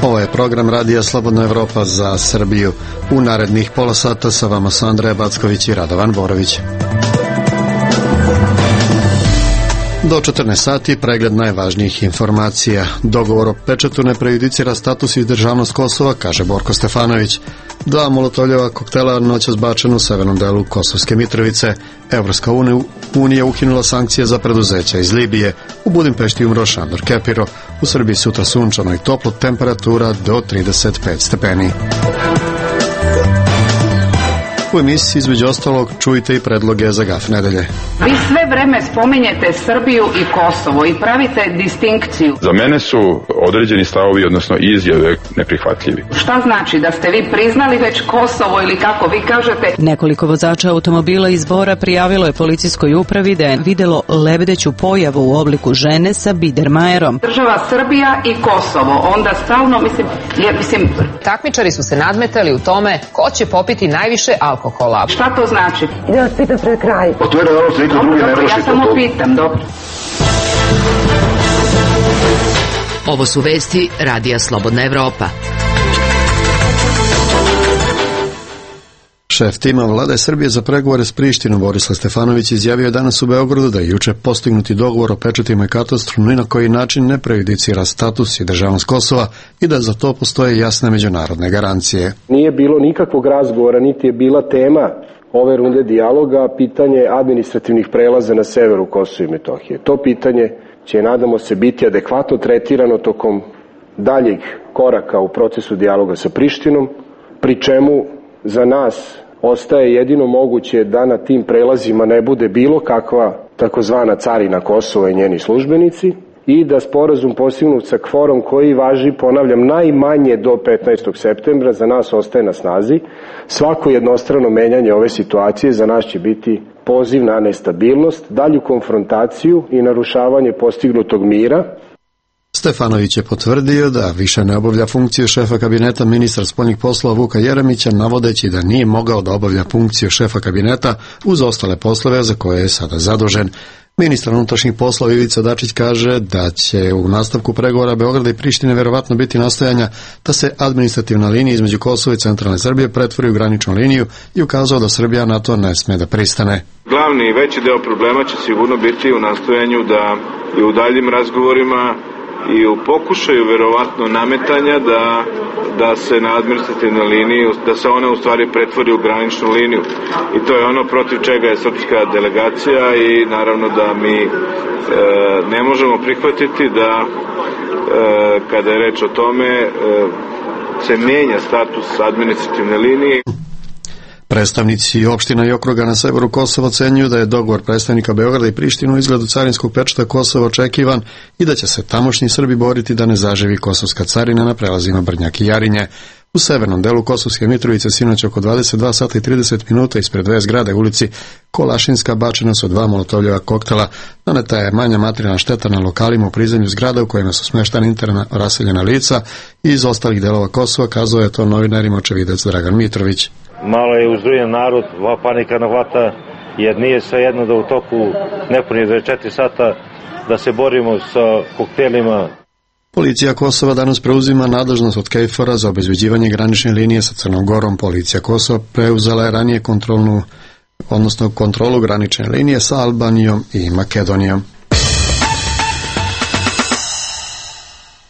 Ovo je program Radija Slobodna Evropa za Srbiju. U narednih pola sata sa vama su Andreja Backović i Radovan Borović. Do 14 sati pregled najvažnijih informacija. Dogovor o pečatu ne prejudicira status i državnost Kosova, kaže Borko Stefanović. 2 molotovljeva koktela noćas bačena u severnom delu Kosovske Mitrovice. Evropska unija ukinula sankcije za preduzeća iz Libije. U Budimpešti umro Šandor Kepiro. U Srbiji sutra sunčano i toplo, temperatura do 35 stepeni. U emisiji između ostalog čujte i predloge za GAF nedelje. Vi sve vreme spominjete Srbiju i Kosovo i pravite distinkciju. Za mene su određeni stavovi, odnosno izjave, neprihvatljivi. Šta znači, da ste vi priznali već Kosovo ili kako vi kažete? Nekoliko vozača automobila iz Bora prijavilo je policijskoj upravi da je videlo lebdeću pojavu u obliku žene sa bidermajerom. Država Srbija i Kosovo, onda stalno, mislim... Takmičari su se nadmetali u tome ko će popiti najviše alkohola. Šta to znači? Da vas pitam pred kraj. Otvoreno ono se niko drugi ne vrši. Ja samo pitam, dobro. Ovo su vesti Radija Slobodna Evropa. Šef tima vlade Srbije za pregovore s Prištinom Borislav Stefanović izjavio je danas u Beogradu da je juče postignuti dogovor o pečatima i katastru ni na koji način ne prejudicira status i državnost Kosova i da za to postoje jasne međunarodne garancije. Nije bilo nikakvog razgovora, niti je bila tema ove runde dijaloga pitanje administrativnih prelaza na severu Kosova i Metohije. To pitanje će, nadamo se, biti adekvatno tretirano tokom daljeg koraka u procesu dijaloga sa Prištinom, pri čemu za nas ostaje jedino moguće da na tim prelazima ne bude bilo kakva takozvana carina Kosova i njeni službenici i da sporazum postignut sa kvorom koji važi, ponavljam, najmanje do 15. septembra za nas ostaje na snazi. Svako jednostrano menjanje ove situacije za nas će biti poziv na nestabilnost, dalju konfrontaciju i narušavanje postignutog mira. Stefanović je potvrdio da više ne obavlja funkciju šefa kabineta ministra spoljnih poslova Vuka Jeremića, navodeći da nije mogao da obavlja funkciju šefa kabineta uz ostale poslove za koje je sada zadužen. Ministar unutrašnjih poslova Ivica Dačić kaže da će u nastavku pregovora Beograda i Prištine verovatno biti nastojanja da se administrativna linija između Kosova i centralne Srbije pretvori u graničnu liniju i ukazao da Srbija na to ne sme da pristane. Glavni i veći deo problema će sigurno biti u nastojanju da i u daljim razgovorima i u pokušaju verovatno nametanja da se na administrativnoj liniji, da se ona u stvari pretvori u graničnu liniju. I to je ono protiv čega je srpska delegacija i naravno da mi ne možemo prihvatiti da kada je reč o tome se menja status administrativne linije. Predstavnici opština i okruga na severu Kosova ocenjuju da je dogovor predstavnika Beograda i Prištine u izgledu carinskog pečata Kosova očekivan i da će se tamošnji Srbi boriti da ne zaživi kosovska carina na prelazima Brnjak i Jarinje. U severnom delu Kosovske Mitrovice sinoć oko 22 sata i 30 minuta ispred dve zgrade u ulici Kolašinska bačena su 2 molotovljeva koktela. Naneta je manja materijalna šteta na lokalima u prizemlju zgrada u kojima su smeštana interna raseljena lica i iz ostalih delova Kosova, kazao je to novinarima očevidac Dragan Mitrović. Malo je uzrujen narod, panika nahvata, jer nije svejedno da u toku nepunih 24 sata da se borimo sa koktelima. Policija Kosova danas preuzima nadležnost od KFOR-a za obezbeđivanje granične linije sa Crnom Gorom. Policija Kosova preuzela je ranije kontrolu granične linije sa Albanijom i Makedonijom.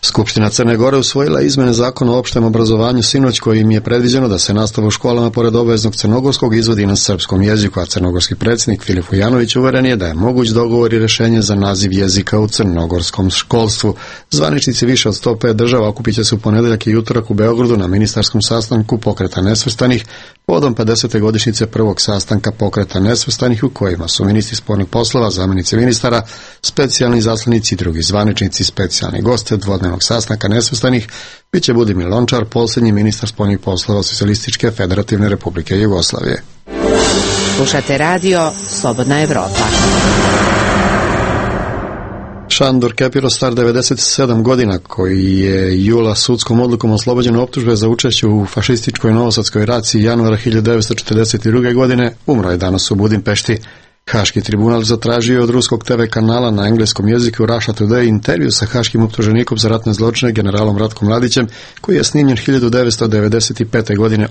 Skupština Crne Gore usvojila izmene zakona o opštem obrazovanju sinoć kojim je predviđeno da se nastava u školama pored obaveznog crnogorskog izvodi na srpskom jeziku, a crnogorski predsjednik Filip Vujanović uveren je da je moguć dogovor i rešenje za naziv jezika u crnogorskom školstvu. Zvaničnici više od 105 država okupit će se u ponedeljak i utorak u Beogradu na ministarskom sastanku Pokreta nesvrstanih povodom 50. godišnjice prvog sastanka Pokreta nesvrstanih u kojima su ministri spoljnih poslova, zamjenici ministara, specijalni zaslanici i drugi zvaničnici, specijalni goste dvodnevnog sastanka nesvrstanih biće Budimir Lončar, posljednji ministar spoljnih poslova Socijalističke federativne republike Jugoslavije. Slušate radio Slobodna Evropa. Šandor Kepiro, star 97 godina, koji je jula sudskom odlukom oslobođen optužbe za učešće u fašističkoj novosadskoj raciji januara 1942. godine, umro je danas u Budimpešti. Haški tribunal zatražio od ruskog TV kanala na engleskom jeziku Russia Today intervju sa haškim optuženikom za ratne zločine generalom Ratkom Mladićem, koji je snimljen 1995. godine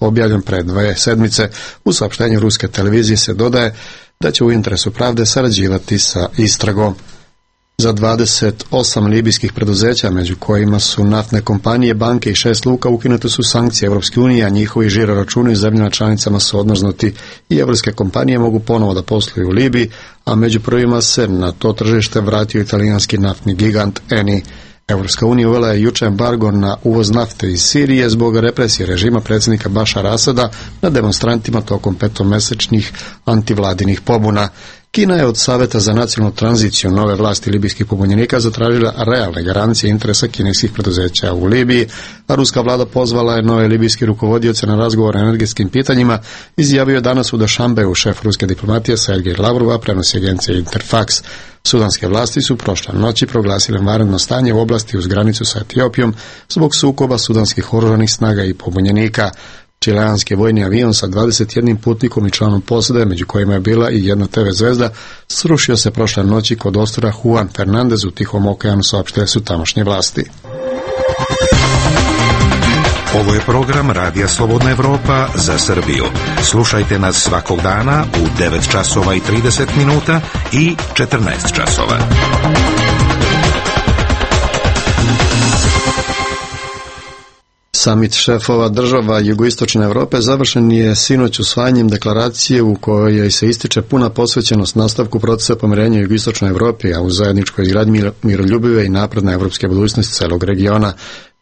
objavljen pred 2 sedmice. U saopštenju ruske televizije se dodaje da će u interesu pravde sarađivati sa istragom. Za 28 libijskih preduzeća, među kojima su naftne kompanije, banke i 6 luka, ukinute su sankcije Evropske unije, a njihovi žiroračuni u zemljama članicama su odmrznuti i evropske kompanije mogu ponovo da posluju u Libiji, a među prvima se na to tržište vratio italijanski naftni gigant Eni. Evropska unija uvela je juče embargo na uvoz nafte iz Sirije zbog represije režima predsjednika Bašara Asada na demonstrantima tokom 5-mesečnih antivladinih pobuna. Kina je od Saveta za nacionalnu tranziciju nove vlasti libijskih pobunjenika zatražila realne garancije interesa kineskih preduzeća u Libiji, a ruska vlada pozvala je nove libijski rukovodioce na razgovor o energetskim pitanjima, izjavio je danas u Dušanbeu šef ruske diplomatije Sergej Lavrov, prenosi agencija Interfax. Sudanske vlasti su prošle noći proglasile vanredno stanje u oblasti uz granicu sa Etiopijom zbog sukoba sudanskih oružanih snaga i pobunjenika. Čileanski vojni avion sa 21 putnikom i članom posade, među kojima je bila i jedna TV zvezda, srušio se prošle noći kod ostrva Juan Fernandez u Tihom okeanu, saopštile su tamošnje vlasti. Ovo je program Radija Slobodna Evropa za Srbiju. Slušajte nas svakog dana u 9 časova i 30 minuta i 14 časova. Samit šefova država jugoistočne Evrope završen je sinoć usvajanjem deklaracije u kojoj se ističe puna posvećenost nastavku procesa pomirenja u jugoistočnoj Evropi, a u zajedničkoj izgradnji miroljubive i napredne evropske budućnosti celog regiona.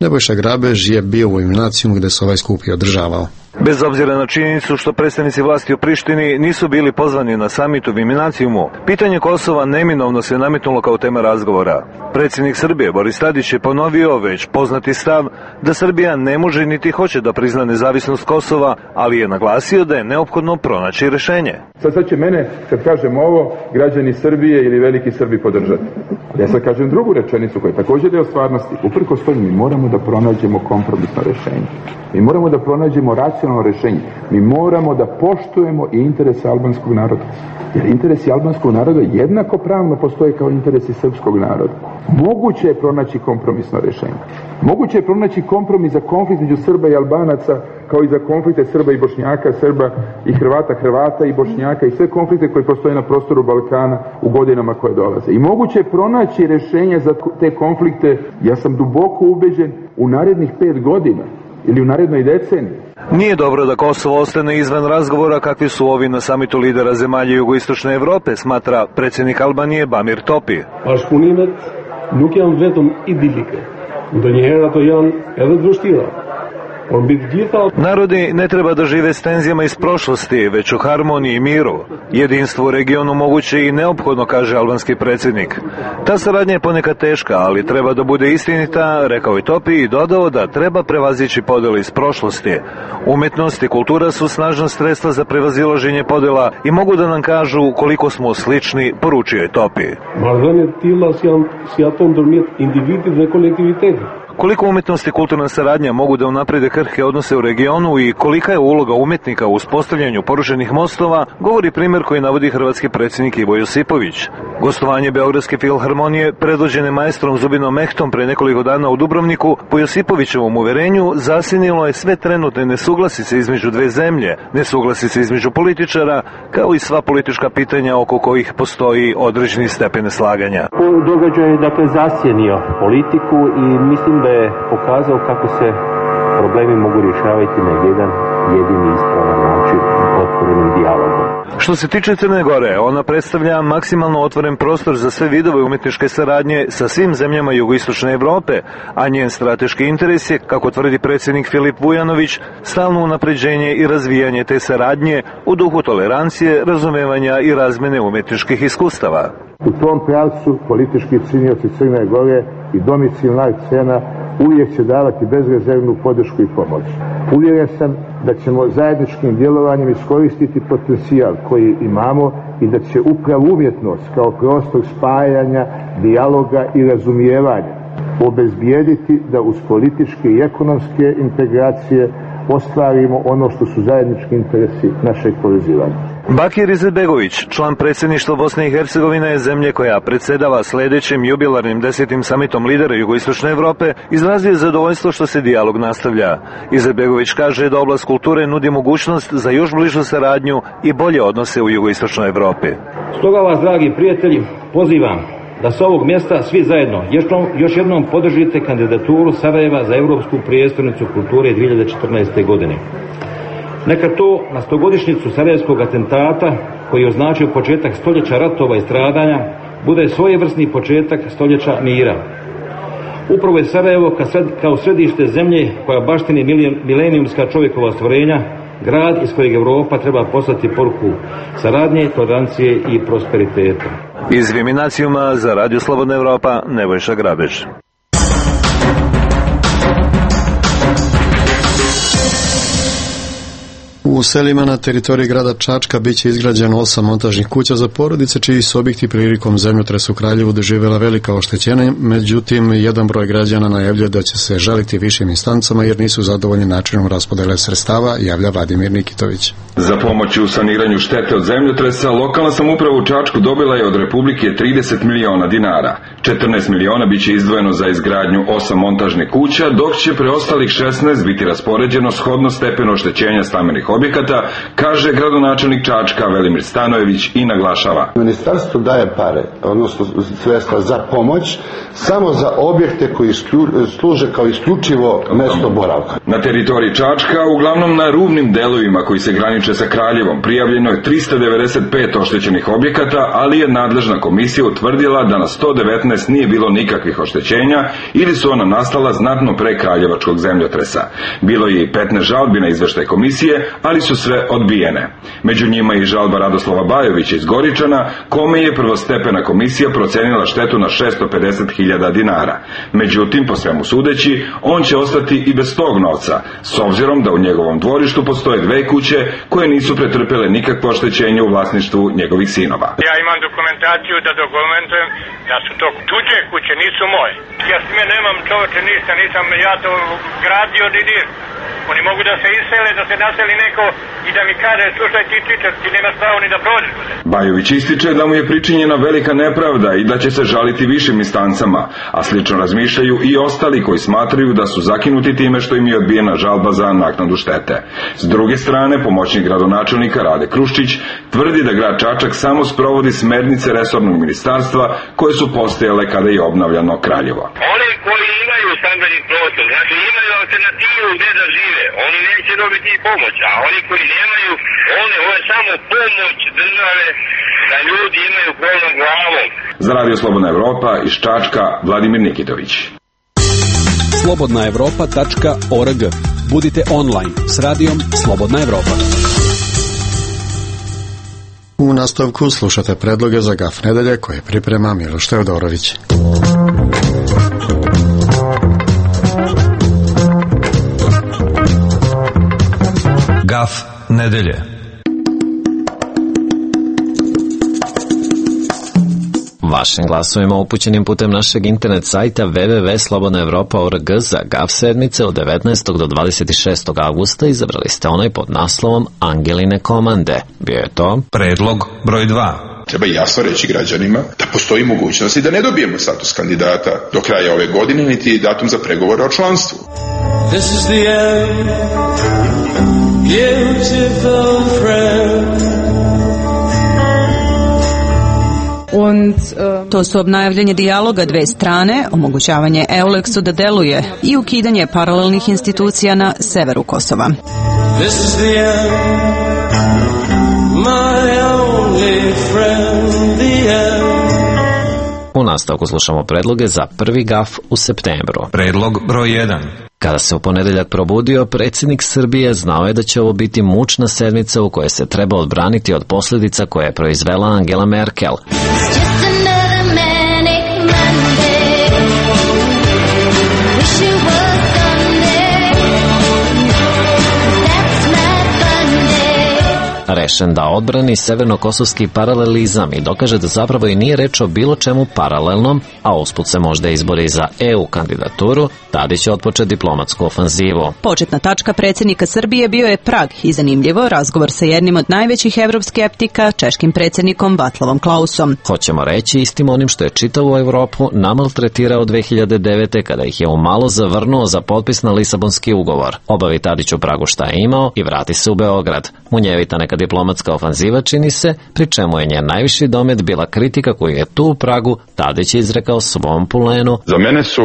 Nebojša Grabež je bio u Iminacijumu gde se ovaj skup i održavao. Bez obzira na činjenicu što predstavnici vlasti u Prištini nisu bili pozvani na samit u Iminacijumu, pitanje Kosova neminovno se nametnulo kao tema razgovora. Predsjednik Srbije Boris Tadić je ponovio već poznati stav da Srbija ne može niti hoće da prizna nezavisnost Kosova, ali je naglasio da je neophodno pronaći rešenje. Sad će mene, kad kažem ovo, građani Srbije ili veliki Srbi podržati. Ja sad kažem drugu rečenicu koja je također deo stvarnosti. Uprkos tome mi moramo da pronađemo kompromisno rešenje. Mi moramo da pronađemo racionalno rešenje. Mi moramo da poštujemo i interese albanskog naroda. Jer interesi albanskog naroda jednako pravno postoje kao interesi srpskog naroda. Moguće je pronaći kompromisno rešenje. Moguće je pronaći kompromis za konflikt među Srba i Albanaca, kao i za konflikte Srba i Bošnjaka, Srba i Hrvata, Hrvata i Bošnjaka i sve konflikte koji postoje na prostoru Balkana u godinama koje dolaze. I moguće je pronaći rešenje za te konflikte, ja sam duboko ubeđen, u narednih 5 godina ili u narednoj deceniji. Nije dobro da Kosovo ostane izvan razgovora kakvi su ovi na samitu lidera zemalja jugoistočne Evrope, smatra predsjednik Albanije Bamir Topi. Bashkëpunimet nuk janë vetëm idilike. Ndonjëherë ato janë edhe të vështira. Narodi ne treba da žive s tenzijama iz prošlosti, već u harmoniji i miru. Jedinstvo u regionu moguće i neophodno, kaže albanski predsjednik. Ta saradnja je ponekad teška, ali treba da bude istinita, rekao je Topi i dodao da treba prevazići podjele iz prošlosti. Umetnost i kultura su snažna sredstva za prevazilaženje podjela i mogu da nam kažu koliko smo slični, poručio je Topi. Marrëdhëniet të tilla si ato ndërmjet individit dhe kolektivitetit. Koliko umetnost i kulturna saradnja mogu da unaprede krhke odnose u regionu i kolika je uloga umetnika u uspostavljanju porušenih mostova, govori primjer koji navodi hrvatski predsjednik Ivo Josipović. Gostovanje Beogradske filharmonije, predvođene maestrom Zubinom Mehtom pre nekoliko dana u Dubrovniku, po Josipovićevom uverenju zasinilo je sve trenutne nesuglasice između dve zemlje, nesuglasice između političara, kao i sva politička pitanja oko kojih postoji određeni stepen slaganja. Događaj je dakle zasjenio politiku i mislim da je pokazao kako se problemi mogu rješavati na jedan jedini ispravan način, otvorenim dijalogom. Što se tiče Crne Gore, ona predstavlja maksimalno otvoren prostor za sve vidove umetničke saradnje sa svim zemljama jugoistočne Evrope, a njen strateški interes je, kako tvrdi predsjednik Filip Vujanović, stalno unapređenje i razvijanje te saradnje u duhu tolerancije, razumevanja i razmene umetničkih iskustava. U tom pravcu politički činioci Crne Gore i domicilna scena uvijek će davati bezrezervnu podršku i pomoć. Uvjeren sam da ćemo zajedničkim djelovanjem iskoristiti potencijal koji imamo i da će upravo umjetnost kao prostor spajanja, dijaloga i razumijevanja obezbijediti da uz političke i ekonomske integracije ostvarimo ono što su zajednički interesi našeg povezivanja. Bakir Izetbegović, član predsjedništva Bosne i Hercegovine, zemlje koja predsedava sljedećim jubilarnim 10. samitom lidera jugoistočne Evrope, izrazio je zadovoljstvo što se dijalog nastavlja. Izetbegović kaže da oblast kulture nudi mogućnost za još bližu saradnju i bolje odnose u jugoistočnoj Evropi. Stoga vas, dragi prijatelji, pozivam da sa ovog mjesta svi zajedno još jednom podržite kandidaturu Sarajeva za Europsku prijestolnicu kulture 2014. godine. Neka to na 100-godišnjicu Sarajevskog atentata, koji je označio početak stoljeća ratova i stradanja, bude svojevrsni početak stoljeća mira. Upravo je Sarajevo kao središte zemlje koja baštini milenijumska čovjekova stvorenja, grad iz kojeg Europa treba poslati poruku saradnje, tolerancije i prosperiteta. Iz Viminacijuma za Radio Slobodna Evropa, Nebojša Grabež. U selima na teritoriji grada Čačka biće izgrađeno 8 montažnih kuća za porodice, čiji su objekti prilikom zemljotresa u Kraljevu doživjela velika oštećenja, međutim, jedan broj građana najavljuje da će se žaliti višim instancama jer nisu zadovoljni načinom raspodele sredstava, javlja Vladimir Nikitović. Za pomoć u saniranju štete od zemljotresa, lokalna samouprava u Čačku dobila je od Republike 30 miliona dinara. 14 miliona biće izdvojeno za izgradnju 8 montažnih kuća, dok će preostalih 16 biti raspoređeno shodno stepenu oštećenja stambenih objekata, kaže gradonačelnik Čačka Velimir Stanojević i naglašava. Ministarstvo daje pare, odnosno sredstva za pomoć, samo za objekte koji služe kao isključivo mesto boravka. Na teritoriji Čačka, uglavnom na rubnim delovima koji se graniče sa Kraljevom, prijavljeno je 395 oštećenih objekata, ali je nadležna komisija utvrdila da na 119 nije bilo nikakvih oštećenja ili su ona nastala znatno pre kraljevačkog zemljotresa. Bilo je i 15 žalbi na izveštaj komisije, ali su sve odbijene. Među njima i žalba Radoslava Bajovića iz Goričana, kome je prvostepena komisija procenila štetu na 650.000 dinara. Međutim, po svemu sudeći, on će ostati i bez tog novca, s obzirom da u njegovom dvorištu postoje 2 kuće koje nisu pretrpele nikakvo oštećenje u vlasništvu njegovih sinova. Ja imam dokumentaciju da dokumentujem da su to tuđe kuće, nisu moje. Ja s time nemam čoveče ništa, nisam ja to gradio didir. Oni mogu da se isele, da se naseli neko i da mi kaže, slušaj ti nemaš pravo ni da prođeš. Bajović ističe da mu je pričinjena velika nepravda i da će se žaliti višim instancama, a slično razmišljaju i ostali koji smatraju da su zakinuti time što im je odbijena žalba za naknadu štete. S druge strane, pomoćnik gradonačelnika Rade Kruščić tvrdi da grad Čačak samo sprovodi smernice resornog ministarstva koje su postojale kada je obnavljano Kraljevo. Oni koji imaju stambeni prostor, znači imaju alternativu gdje da žive, oni neće dobiti pomoć, a oni koji nemaju, ovo je samo pomoć države da ljudi imaju krov nad glavom. Za Radio Slobodna Evropa iz Čačka, Vladimir Nikitović. slobodnaevropa.org. Budite online s radijom Slobodna Evropa. U nastavku slušate predloge za GAF nedelje koje priprema Miloš Teodorović. GAF nedelje. Vašim glasovima upućenim putem našeg internet sajta www.slobodnaevropa.org za GAF sedmice od 19. do 26. augusta izabrali ste onaj pod naslovom Angeline komande. Bio je to predlog broj 2. Treba jasno reći građanima da postoji mogućnost i da ne dobijemo status kandidata do kraja ove godine, niti datum za pregovore o članstvu. This is the end, beautiful friend. To su obnavljanje dijaloga 2 strane, omogućavanje EULEX-u da deluje i ukidanje paralelnih institucija na severu Kosova. This is the end, my only friend, the end. U nastavku slušamo predloge za prvi GAF u septembru. Predlog broj 1. Kada se u ponedeljak probudio, predsjednik Srbije znao je da će ovo biti mučna sedmica u kojoj se treba odbraniti od posljedica koje je proizvela Angela Merkel. rešen da odbrani severno-kosovski paralelizam i dokaže da zapravo i nije reč o bilo čemu paralelnom, a usput se možda izbori za EU kandidaturu, Tadić će otpočeti diplomatsku ofanzivu. Početna tačka predsjednika Srbije bio je Prag i zanimljivo razgovor sa jednim od najvećih evroskeptika, češkim predsjednikom Vaclavom Klausom. Hoćemo reći istim onim što je čitavu Evropu namaltretirao 2009. kada ih je umalo zavrnuo za potpis na Lisabonski ugovor. Obavi Tadić u Pragu šta je imao i vrati se u Beograd. Munjevita neka diplomatska ofanziva čini se, pri čemu je njen najviši domet bila kritika koju je tu u Pragu Tadić izrekao svom pulenu. Za mene su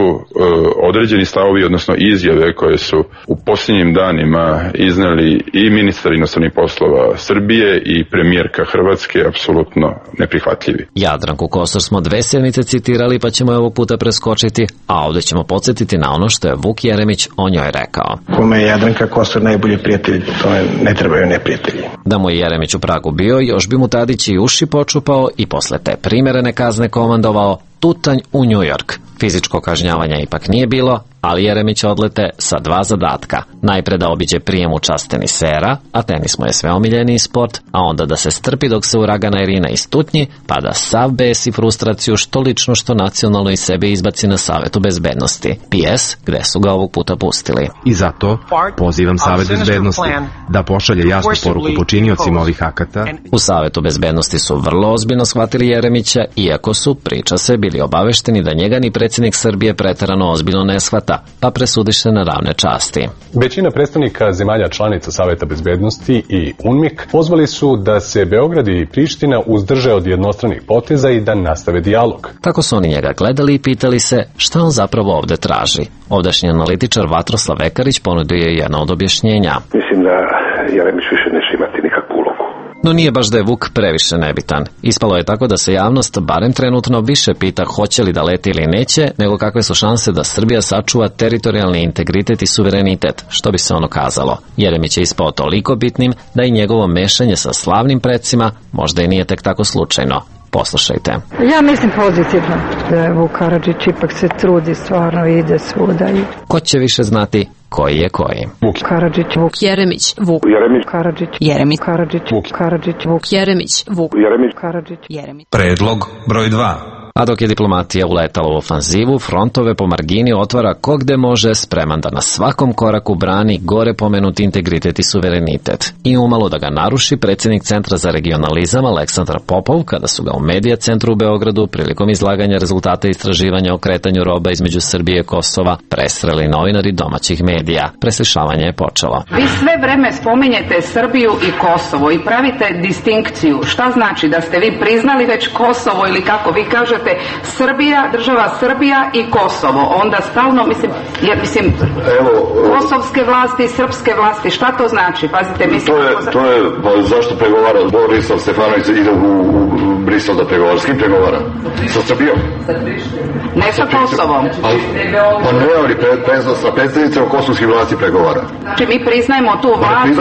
određeni stavovi, odnosno izjave koje su u posljednjim danima izneli i ministar inostranih poslova Srbije i premijerka Hrvatske apsolutno neprihvatljivi. Jadranku Kosor smo 2 sedmice citirali, pa ćemo je ovog puta preskočiti, a ovdje ćemo podsjetiti na ono što je Vuk Jeremić o njoj rekao. Kome je Jadranka Kosor najbolji prijatelj, to ne trebaju neprijatelji. Da mu je Jeremić u Pragu bio, još bi mu Tadić i uši počupao i posle te primerene kazne komandovao tutanj u New York. Fizičko kažnjavanja ipak nije bilo, ali Jeremić odlete sa 2 zadatka. Najpre da obiđe prijem u čast tenisera, a tenis mu je sve omiljeniji sport, a onda da se strpi dok se uragana Irina istutnji, pa da sav bes i frustraciju što lično što nacionalno iz sebe izbaci na Savetu bezbednosti. PS, gde su ga ovog puta pustili. I zato pozivam Savet bezbednosti da pošalje jasnu poruku počiniocima ovih akata. U Savetu bezbednosti su vrlo ozbiljno shvatili Jeremića, iako su, priča se, bili obavešteni da njega ni predsjednik Srbije preterano ozbiljno ne shvata, pa presudiše na ravne časti. Većina predstavnika zemalja članica Saveta bezbednosti i UNMIK pozvali su da se Beograd i Priština uzdrže od jednostranih poteza i da nastave dijalog. Tako su oni njega gledali i pitali se šta on zapravo ovde traži. Ovdašnji analitičar Vatroslav Vekarić ponudio je jedno od objašnjenja. Mislim da Jeremić više neće imati nikakvu ulogu. No nije baš da je Vuk previše nebitan. Ispalo je tako da se javnost barem trenutno više pita hoće li da leti ili neće, nego kakve su šanse da Srbija sačuva teritorijalni integritet i suverenitet, što bi se ono kazalo. Jeremić je ispao toliko bitnim da i njegovo mešanje sa slavnim predsima možda i nije tek tako slučajno. Poslušajte. Ja mislim pozitivno da je Vuk Karadžić ipak se trudi stvarno i ide svuda. Ko će više znati koji je koji? Vuk Karadžić, Vuk Jeremić, Vuk Jeremić, Karadžić, Jeremić, Karadžić, Vuk Karadžić, Vuk Jeremić, Vuk Jeremić, Karadžić, Jeremić. Predlog broj 2. A dok je diplomatija uletala u ofanzivu, frontove po margini otvara ko gde može, spreman da na svakom koraku brani gore pomenuti integritet i suverenitet. I umalo da ga naruši predsjednik Centra za regionalizam Aleksandar Popov, kada su ga u Medija centru u Beogradu prilikom izlaganja rezultata istraživanja o kretanju roba između Srbije i Kosova presreli novinari domaćih medija. Preslišavanje je počelo. Vi sve vreme spominjete Srbiju i Kosovo i pravite distinkciju. Šta znači da ste vi priznali već Kosovo ili kako vi kažete Srbija, država Srbija i Kosovo. Onda stalno, kosovske vlasti i srpske vlasti, šta to znači? Pazite, mislim... To je zašto pregovara Borislav Stefanović ide u Brisel da pregovara? S kim pregovara? Sa Srbijom? Ne sa Kosovom. Pa ne, ali sa predstavnicama kosovskih vlasti pregovara. Znači mi priznajemo tu vlast,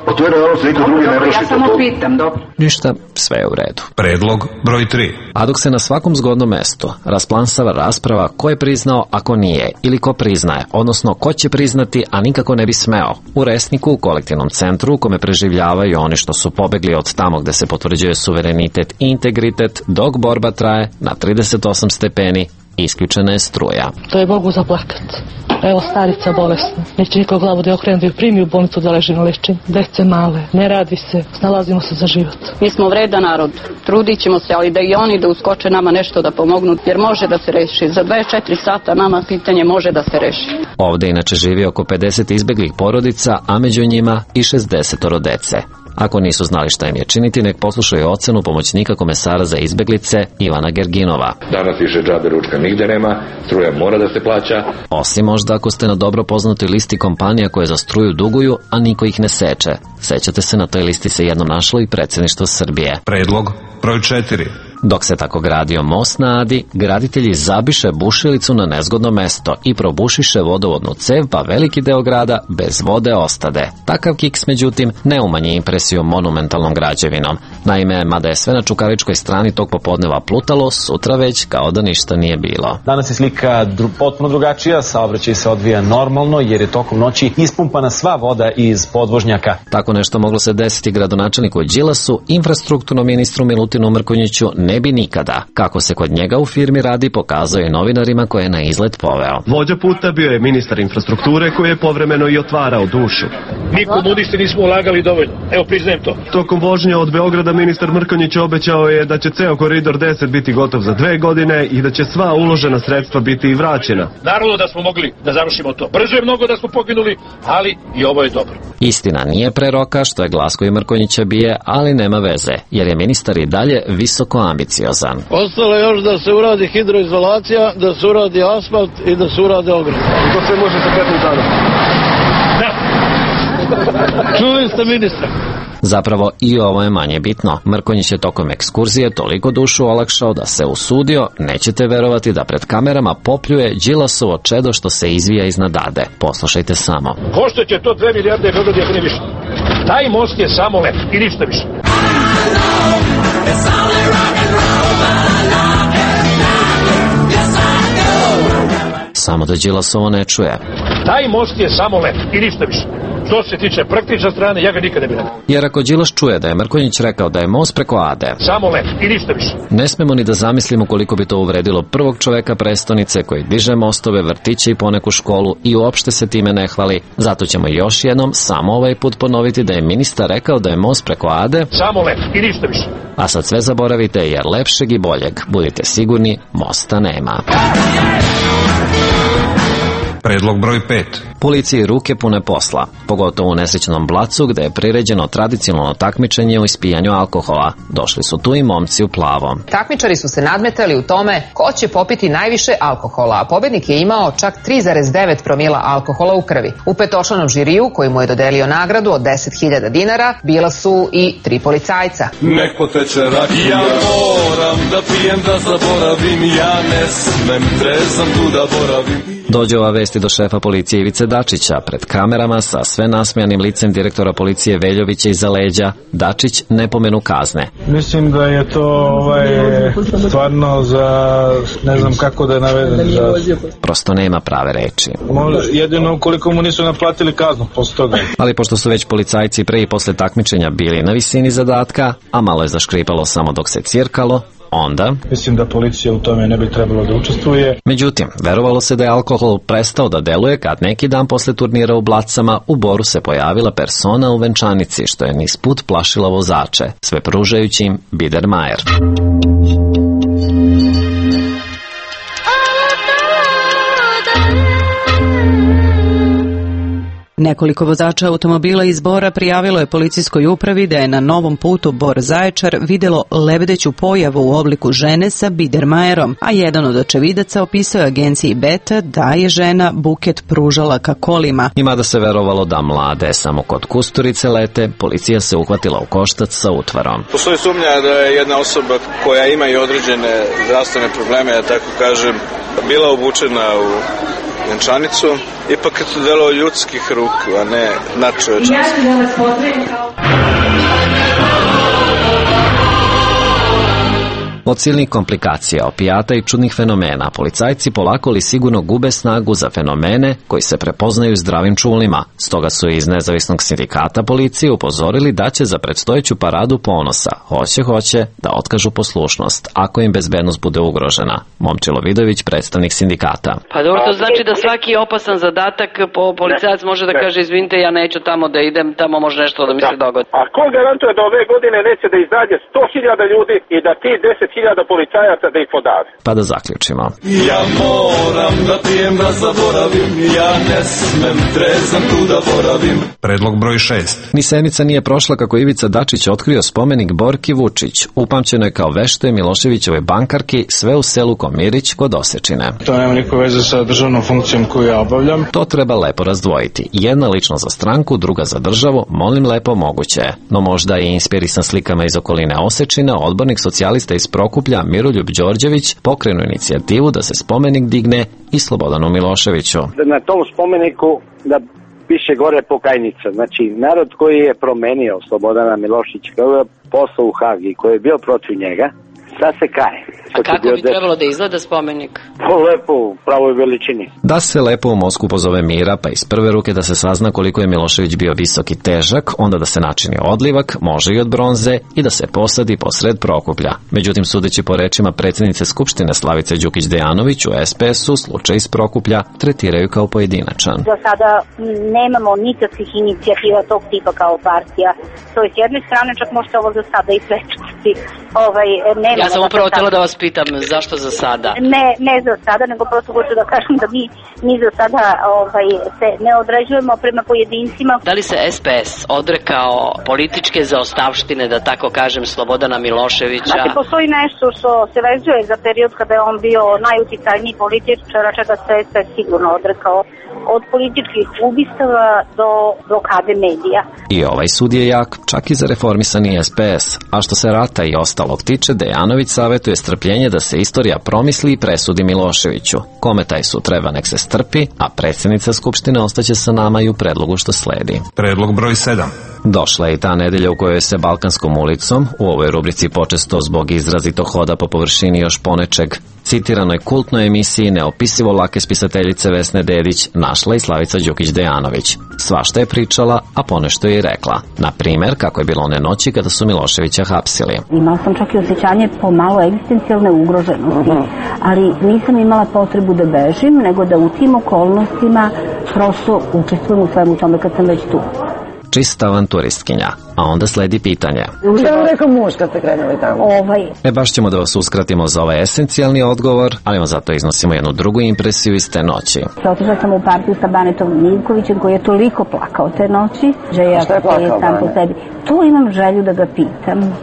pa to je realnost, niko drugi ne vrši. Ja samo pitam, dobro. Ništa, sve je u redu. Predlog broj 3. A dok se na svakom zgodnom mestu rasplansava rasprava ko je priznao, a ko nije, ili ko priznaje, odnosno ko će priznati, a nikako ne bi smeo. U Resniku, u kolektivnom centru, u kome preživljavaju oni što su pobegli od tamo gde se potvrđuje suverenitet i integritet, dok borba traje na 38 stepeni, isključena je struja. To je Bogu za plakat. Evo starica bolesna. Neće niko glavu da okrenu da ju primi u bolnicu da leži na lečenju. Dece male. Ne radi se. Snalazimo se za život. Mi smo vredan narod. Trudit ćemo se, ali da i oni da uskoče nama nešto da pomognu, jer može da se reši. Za 24 sata nama pitanje može da se reši. Ovde inače živi oko 50 izbeglih porodica, a među njima i 60 dece. Ako nisu znali šta im je činiti, nek poslušaju ocenu pomoćnika komesara za izbeglice Ivana Gerginova. Danas više džabe ručka nigde nema, struja mora da se plaća. Osim možda ako ste na dobro poznatoj listi kompanija koje za struju duguju, a niko ih ne seče. Sećate se, na toj listi se jednom našlo i predsjedništvo Srbije. Predlog broj 4. Dok se tako gradio most na Adi, graditelji zabiše bušilicu na nezgodno mesto i probušiše vodovodnu cev, pa veliki deo grada bez vode ostade. Takav kiks, međutim, ne umanji impresiju monumentalnom građevinom. Naime, mada je sve na Čukaričkoj strani tog popodneva plutalo, sutra već kao da ništa nije bilo. Danas je slika potpuno drugačija, saobraćaj se odvija normalno jer je tokom noći ispumpana sva voda iz podvožnjaka. Tako nešto moglo se desiti gradonačelniku Đilasu, infrastrukturnom ministru Milutinu Mrkonjiću ne bi nikada. Kako se kod njega u firmi radi, pokazao je novinarima koje je na izlet poveo. Vođa puta bio je ministar infrastrukture koji je povremeno i otvarao dušu. Mi komunisti nismo ulagali dovoljno, evo priznajem to. Tokom vožnje od Beograda ministar Mrkonjić obećao je da će ceo koridor 10 biti gotov za 2 godine i da će sva uložena sredstva biti i vraćena. Naravno da smo mogli da završimo to. Brzo je mnogo da smo poginuli, ali i ovo je dobro. Istina nije pre roka, što je glas koji Mrkonjića bije, ali nema veze, jer je ministar i dalje visoko ambiciozan. Ostalo je još da se uradi hidroizolacija, da se uradi asfalt i da se urade ograde. I to sve može sa 15 dana. Da. Čuli ste ministra. Zapravo i ovo je manje bitno. Mrkonjić je tokom ekskurzije toliko dušu olakšao da se usudio, nećete verovati, da pred kamerama popljuje Đilasovo čedo što se izvija iznad Ade. Poslušajte samo. Koštaće to 2 milijarde Beograd, ako ne više. Taj most je samo lep i ništa više. Samo da Đilasovo ne čuje. Taj most je samo lep i ništa više. Što se tiče praktične strane, ja ga nikada ne bih rekao. Jer ako Đilas čuje da je Mrkonjić rekao da je most preko Ade, samo lep i ništa više, ne smemo ni da zamislimo koliko bi to uvredilo prvog čoveka prestonice koji diže mostove, vrtiće i poneku školu i uopšte se time ne hvali. Zato ćemo još jednom samo ovaj put ponoviti da je ministar rekao da je most preko Ade samo lep i ništa više. A sad sve zaboravite, jer lepšeg i boljeg, budite sigurni, mosta nema. Predlog broj 5. Policiji ruke pune posla, pogotovo u nesrećnom Blacu gde je priređeno tradicionalno takmičenje u ispijanju alkohola. Došli su tu i momci u plavom. Takmičari su se nadmetali u tome ko će popiti najviše alkohola, a pobednik je imao čak 3,9 promila alkohola u krvi. U petočlanom žiriju, koji mu je dodelio nagradu od 10.000 dinara, bila su i 3 policajca. Nek poteče rakija, ja moram da pijem da zaboravim, ja ne smem, trezam tu da boravim. Dođe ova vesti do šefa policije Ivice Dačića. Pred kamerama sa sve nasmejanim licem direktora policije Veljovića iza leđa, Dačić ne pomenu kazne. Mislim da je to stvarno za, ne znam kako da navedem. Prosto nema prave reči. Jedino ukoliko mu nisu naplatili kaznu posle toga. Ali pošto su već policajci pre i posle takmičenja bili na visini zadatka, a malo je zaškripalo samo dok se cirkalo, onda... Mislim da policija u tome ne bi trebalo da učestvuje. Međutim, verovalo se da je alkohol prestao da deluje kad neki dan posle turnira u Blacama u Boru se pojavila persona u venčanici, što je niz put plašila vozače, sve pružajući im Biedermajer. Nekoliko vozača automobila iz Bora prijavilo je policijskoj upravi da je na novom putu Bor-Zaječar videlo lebdeću pojavu u obliku žene sa Biedermajerom, a jedan od očevidaca opisao je agenciji Beta da je žena buket pružala ka kolima. I mada se verovalo da mlade samo kod Kusturice lete, policija se uhvatila u koštac sa utvarom. Postoji sumnja da je jedna osoba koja ima i određene zdravstvene probleme, ja tako kažem, bila obučena u venčanicu. Ipak je to delo ljudskih ruku, a ne nadčovečanskih. Ja ću da vas pozdravim kao... Od silnih komplikacija, opijata i čudnih fenomena, policajci polako li sigurno gube snagu za fenomene koji se prepoznaju zdravim čulima. Stoga su iz nezavisnog sindikata policije upozorili da će za predstojeću paradu ponosa, hoće, da otkažu poslušnost, ako im bezbednost bude ugrožena. Momčilo Vidović, predstavnik sindikata. Pa dobro, to znači da svaki opasan zadatak policajac može da kaže izvinite, ja neću tamo da idem, tamo može nešto da mi se dogodi. A ko garantuje da ove godine neće da izađe 100.000 ljudi i da ti 10.000 policajaca da ih podave? Pa da zaključimo. Ja moram da pijem da zaboravim, ja ne smem, trezam tu da boravim. Predlog broj 6. Ni sedmica nije prošla kako Ivica Dačić otkrio spomenik Borki Vučić. Upamćeno je kao vešto Miloševićevoj bankarki, sve u selu Komirić kod Osečine. To nema nikakve veze sa državnom funkcijom koju ja obavljam. To treba lepo razdvojiti. Jedna lično za stranku, druga za državu, molim lepo moguće. No možda je inspirisan slikama iz okoline Osečine, odbornik socijalista iz Prokuplja Miroljub Đorđević pokrenu inicijativu da se spomenik digne i Slobodanu Miloševiću. Na tom spomeniku da piše gore pokajnica. Znači, narod koji je promenio Slobodana Miloševića, koji je poslao u Hag i koji je bio protiv njega, da se kaje. A kako bi trebalo da izgleda spomenik? Lepo, u pravoj veličini. Da se lepo u Moskvu pozove Mira, pa iz prve ruke da se sazna koliko je Milošević bio visok i težak, onda da se načini odlivak, može i od bronze, i da se posadi posred Prokuplja. Međutim, sudeći po rečima predsjednice Skupštine Slavice Đukić Dejanović, u SPS-u slučaj iz Prokuplja tretiraju kao pojedinačan. Do sada nemamo nikakvih inicijativa tog tipa kao partija. To je s jedne strane, čak možete ovo za sada i prečutiti. Ja sam upravo htjela da vas pitam zašto za sada. Ne za sada, nego prosto hoću da kažem da mi za sada se ne određujemo prema pojedincima. Da li se SPS odrekao političke zaostavštine, da tako kažem, Slobodana Miloševića? Znači, postoji nešto što se vezuje za period kada je on bio najuticajniji političar, čega se SPS sigurno odrekao. Od političkih ubistava do blokade medija. I ovaj sud je jak, čak i za reformisani SPS. A što se rata i ostalog tiče, Dejanović savjetuje strpljenje da se istorija promisli i presudi Miloševiću. Kome taj sud treba, nek se strpi, a predsjednica Skupštine ostaće sa nama i u predlogu što sledi. Predlog broj 7. Došla je i ta nedelja u kojoj se Balkanskom ulicom, u ovoj rubrici počesto zbog izrazito hoda po površini još ponečeg, citiranoj kultnoj emisiji neopisivo lake spisateljice Vesne Dedić, našla i Slavica Đukić Dejanović. Svašta je pričala, a ponešto je i rekla. Na primjer, kako je bilo one noći kada su Miloševića hapsili. Imala sam čak i osjećanje pomalo egzistencijalne ugroženosti, ali nisam imala potrebu da bežim, nego da u tim okolnostima prosto učestvujem u svemu tome kad sam već tu. Čista avanturistkinja, a onda sledi pitanje. Šta vam rekao muž kad ste krenuli tamo? Baš ćemo da vas uskratimo za ovaj esencijalni odgovor, ali vam zato iznosimo jednu drugu impresiju iz te noći. Otišla sam u partiju sa Banetom Miljkovićem koji je toliko plakao te noći, že ja je sam po sebi. Tu imam želju da ga pitam.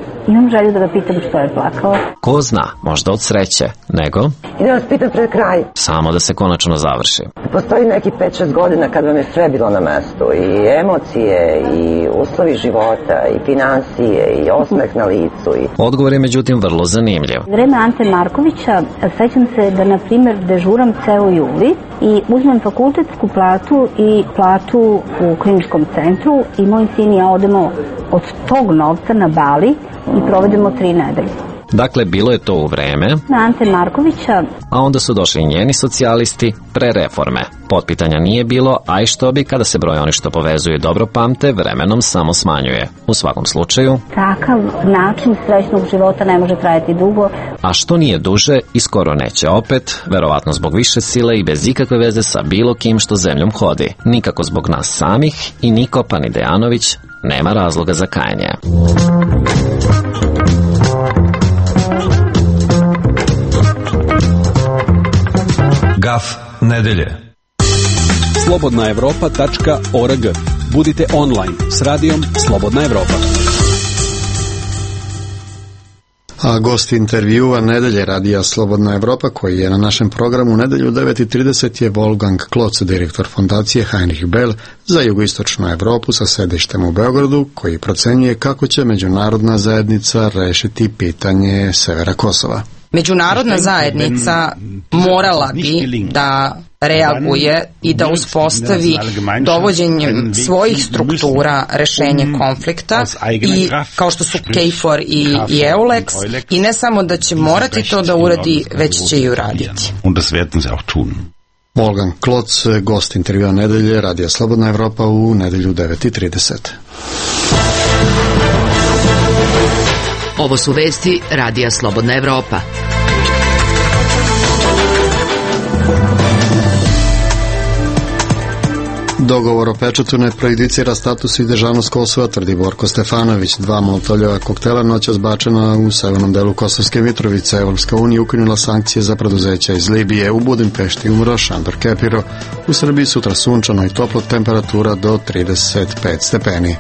Što je plakao. Ko zna, možda od sreće, nego... I da vas pitam pred kraj. Samo da se konačno završi. Postoji neki 5-6 godina kad vam je sve bilo na mestu. I emocije, i uslovi života, i financije, i osmeh na licu. Odgovor je međutim vrlo zanimljiv. Vreme Ante Markovića, sećam se da, na primjer, dežuram ceo juli i uzmem fakultetsku platu i platu u kliničkom centru i moj sin i ja odemo od tog novca na Bali i provedemo 3 nedelje. Dakle, bilo je to u vreme Ante Markovića, a onda su došli njeni socijalisti pre reforme. Potpitanja nije bilo, a i što bi kada se broj oni što povezuju dobro pamte, vremenom samo smanjuje. U svakom slučaju, takav način srećnog života ne može trajati dugo. A što nije duže i skoro neće opet, verovatno zbog više sile i bez ikakve veze sa bilo kim što zemljom hodi. Nikako zbog nas samih i niko pa ni Dejanović nema razloga za kajanje. Gaf nedelje. slobodnaevropa.org. Budite online s radijom Slobodna Evropa. A gost intervjua nedelje radija Slobodna Evropa, koji je na našem programu u nedelju 9:30, je Wolfgang Klotz, direktor fondacije Heinrich Böll za jugoistočnu Evropu sa sedištem u Beogradu, koji procenjuje kako će međunarodna zajednica rešiti pitanje severa Kosova. Međunarodna zajednica morala bi da reaguje i da uspostavi dovođenjem svojih struktura rešenje konflikta i kao što su KFOR i EULEX, i ne samo da će morati to da uradi, već će i uraditi. Wolfgang Klotz, gost intervjua nedelje radija Slobodna Evropa u nedelju 9:30. Ovo su vesti radija Slobodna Evropa. Dogovor o pečatu ne prejudicira status i državnost Kosova, tvrdi Borko Stefanović. 2 molotovljeva koktela noćas bačena u severnom delu Kosovske Mitrovice. Evropska unija ukinula sankcije za preduzeća iz Libije. U Budimpešti umro Šandor Kepiro. U Srbiji sutra sunčano i toplo, temperatura do 35 stepeni.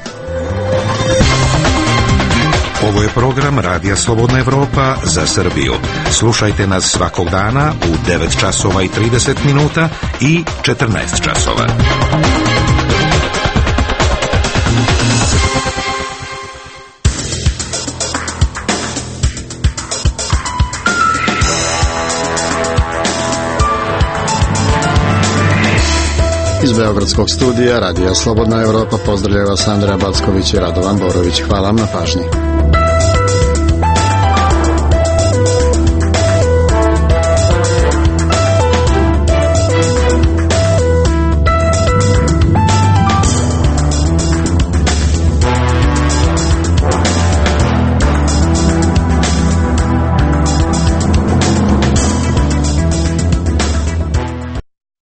Ovo je program Radija Slobodna Evropa za Srbiju. Slušajte nas svakog dana u 9 časova i 30 minuta i 14 časova. Iz Beogradskog studija Radija Slobodna Evropa pozdravljaju vas Andreja Backović i Radovan Borović. Hvala vam na pažnji.